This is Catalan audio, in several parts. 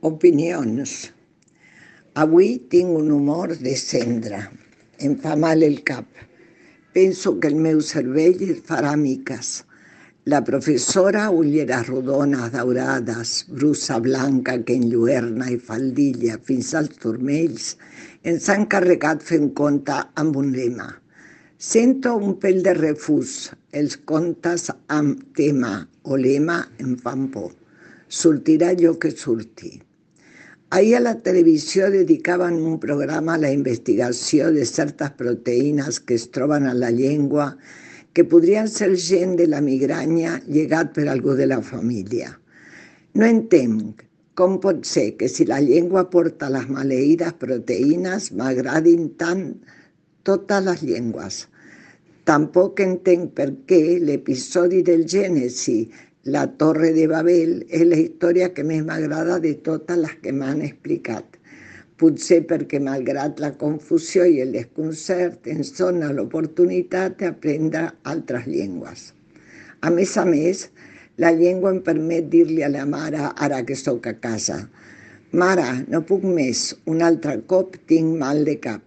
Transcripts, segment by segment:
Opinions. Avui tinc un humor de cendra. Em fa mal el cap. Penso que el meu cervell farà miques. La professora, ulleres rodones daurades, brusa blanca que enlluerna i faldilla fins als turmells, ens ha encarregat fer un conte amb un lema. Sento un pèl de refús. Els contes amb tema o lema em fan por. Sortirà allò que surti. Ahir a la televisió dedicaven un programa a la investigació de certes proteïnes que es troben a la llengua que podrien ser gen de la migranya llegat per algú de la família. No entenc com pot ser que si la llengua porta les maleïdes proteïnes m'agradin tant totes les llengües. Tampoc entenc per què l'episodi del Gènesi, la Torre de Babel, és la història que més m'agrada de totes les que m'han explicat. Potser perquè, malgrat la confusió i el desconcert, ens dona l'oportunitat d'aprendre altres llengües. A més, la llengua em permet dir-li a la mare, ara que sóc a casa: «Mare, no puc més, un altre cop tinc mal de cap».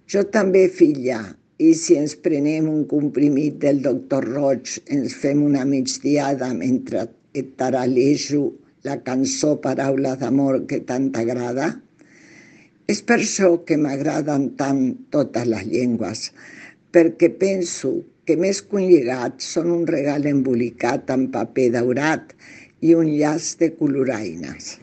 Jo també, filla, i si ens prenem un comprimit del doctor Roig, ens fem una migdiada mentre et taralejo la cançó Paraules d'amor que tant t'agrada? És per això que m'agraden tant totes les llengües, perquè penso que més que un llegat són un regal embolicat en paper daurat i un llaç de coloraines.